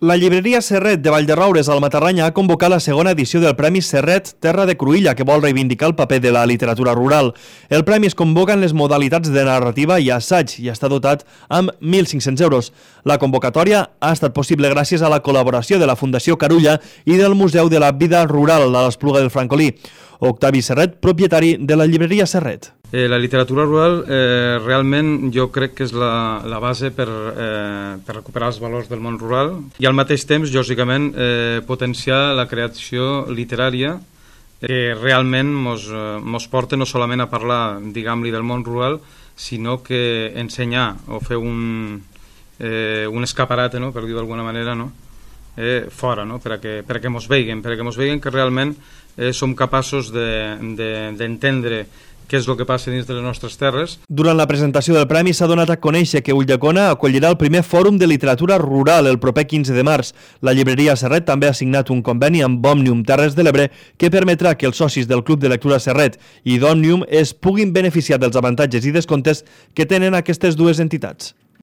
La llibreria Serret de Vallderoures al Matarranya ha convocat la segona edició del Premi Serret Terra de Cruïlla, que vol reivindicar el paper de la literatura rural. El premi es convoca en les modalitats de narrativa i assaig i està dotat amb 1.500 euros. La convocatòria ha estat possible gràcies a la col·laboració de la Fundació Carulla i del Museu de la Vida Rural de l'Espluga del Francolí. Octavi Serret, propietari de la llibreria Serret. La literatura rural realment jo crec que és la base per recuperar els valors del món rural i al mateix temps, lògicament, potenciar la creació literària que realment mos porta no solament a parlar, diguem-li, del món rural, sinó que ensenyar o fer un escaparate, no?, per dir-ho d'alguna manera, no?, fora, no?, perquè mos veiguen que realment som capaços d'entendre què és el que passa dins de les nostres terres. Durant la presentació del premi s'ha donat a conèixer que Ulldecona acollirà el primer fòrum de literatura rural el proper 15 de març. La llibreria Serret també ha signat un conveni amb Òmnium Terres de l'Ebre que permetrà que els socis del Club de Lectura Serret i d'Òmnium es puguin beneficiar dels avantatges i descomptes que tenen aquestes dues entitats.